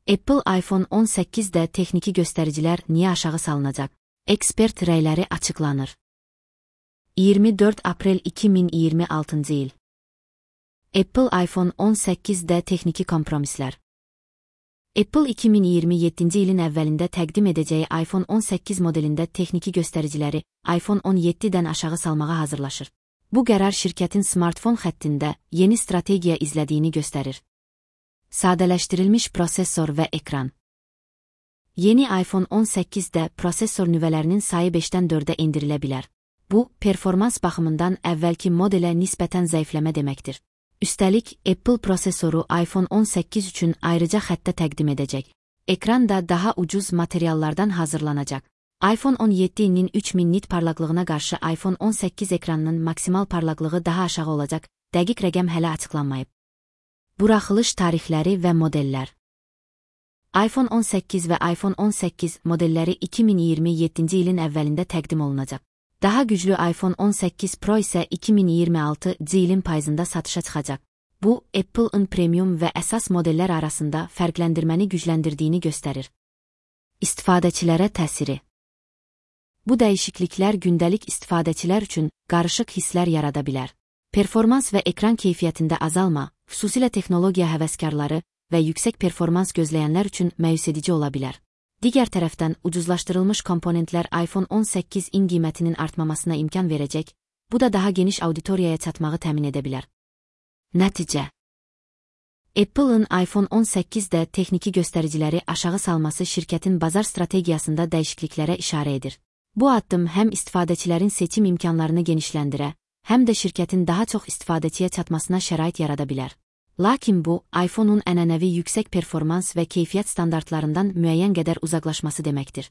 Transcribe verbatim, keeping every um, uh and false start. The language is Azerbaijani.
Apple iPhone on səkkizdə texniki göstəricilər niyə aşağı salınacaq? Ekspert rəyləri açıqlanır. iyirmi dörd aprel iki min iyirmi altıncı il. Apple iPhone on səkkizdə texniki kompromislər. Apple iki min iyirmi yeddinci ilin əvvəlində təqdim edəcəyi iPhone on səkkiz modelində texniki göstəriciləri iPhone on yeddidən aşağı salmağa hazırlaşır. Bu qərar şirkətin smartfon xəttində yeni strategiya izlədiyini göstərir. Sadələşdirilmiş prosesor və ekran. Yeni iPhone on səkkizdə prosesor nüvələrinin sayı beşdən dördə endirilə bilər. Bu, performans baxımından əvvəlki modelə nisbətən zəifləmə deməkdir. Üstəlik, Apple prosesoru iPhone on səkkiz üçün ayrıca xəttə təqdim edəcək. Ekran da daha ucuz materiallardan hazırlanacaq. iPhone on yeddinin üç min nit parlaqlığına qarşı iPhone on səkkiz ekranının maksimal parlaqlığı daha aşağı olacaq, dəqiq rəqəm hələ açıqlanmayıb. Buraxılış tarixləri və modellər. iPhone on səkkiz və iPhone on səkkiz modelləri iki min iyirmi yeddinci ilin əvvəlində təqdim olunacaq. Daha güclü iPhone on səkkiz Pro isə iki min iyirmi altıncı ilin payızında satışa çıxacaq. Bu, Apple'ın premium və əsas modellər arasında fərqləndirməni gücləndirdiyini göstərir. İstifadəçilərə təsiri. Bu dəyişikliklər gündəlik istifadəçilər üçün qarışıq hisslər yarada bilər. Performans və ekran keyfiyyətində azalma, xüsusilə texnologiya həvəskarları və yüksək performans gözləyənlər üçün məyus edici ola bilər. Digər tərəfdən, ucuzlaşdırılmış komponentlər iPhone on səkkizin qiymətinin artmamasına imkan verəcək, bu da daha geniş auditoriyaya çatmağı təmin edə bilər. Nəticə. Apple'ın iPhone on səkkizdə texniki göstəriciləri aşağı salması şirkətin bazar strategiyasında dəyişikliklərə işarə edir. Bu addım həm istifadəçilərin seçim imkanlarını genişləndirə, həm də şirkətin daha çox istifadəçiyə çatmasına şərait yarada bilər. Lakin bu, iPhone-un ənənəvi yüksək performans və keyfiyyət standartlarından müəyyən qədər uzaqlaşması deməkdir.